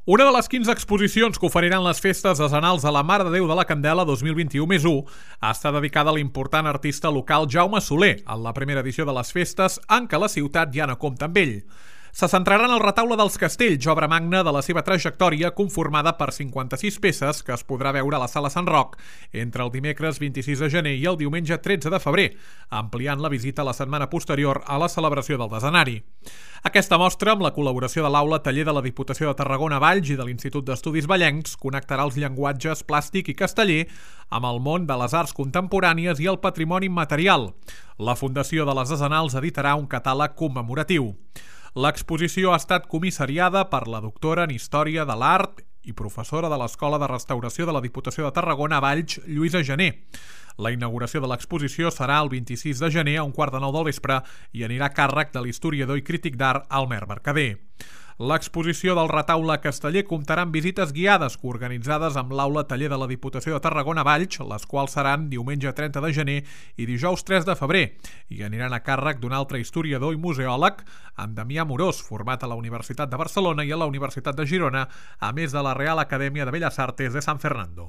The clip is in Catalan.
Una de les 15 exposicions que oferiran les festes decenals de la Mare de Déu de la Candela 2021+1 està dedicada a l'important artista local Jaume Soler, en la primera edició de les festes en què la ciutat ja no compta amb ell. Se centrarà en el Retaule dels Castells, obra magna de la seva trajectòria conformada per 56 peces que es podrà veure a la Sala Sant Roc entre el dimecres 26 de gener i el diumenge 13 de febrer, ampliant la visita la setmana posterior a la celebració del decenari. Aquesta mostra, amb la col·laboració de l'Aula Taller de la Diputació de Tarragona Valls i de l'Institut d'Estudis Vallencs, connectarà els llenguatges plàstic i casteller amb el món de les arts contemporànies i el patrimoni immaterial. La Fundació de les Decenals editarà un catàleg commemoratiu. L'exposició ha estat comissariada per la doctora en Història de l'Art i professora de l'Escola de Restauració de la Diputació de Tarragona Valls, Lluïsa Gené. La inauguració de l'exposició serà el 26 de gener a 8:45 del vespre i anirà a càrrec de l'historiador i crític d'art Almer Mercader. L'exposició del Retaule Casteller comptarà amb visites guiades coorganitzades amb l'Aula Taller de la Diputació de Tarragona Valls, les quals seran diumenge 30 de gener i dijous 3 de febrer, i aniran a càrrec d'un altre historiador i museòleg, en Damià Morós, format a la Universitat de Barcelona i a la Universitat de Girona, a més de la Real Acadèmia de Belles Artes de San Fernando.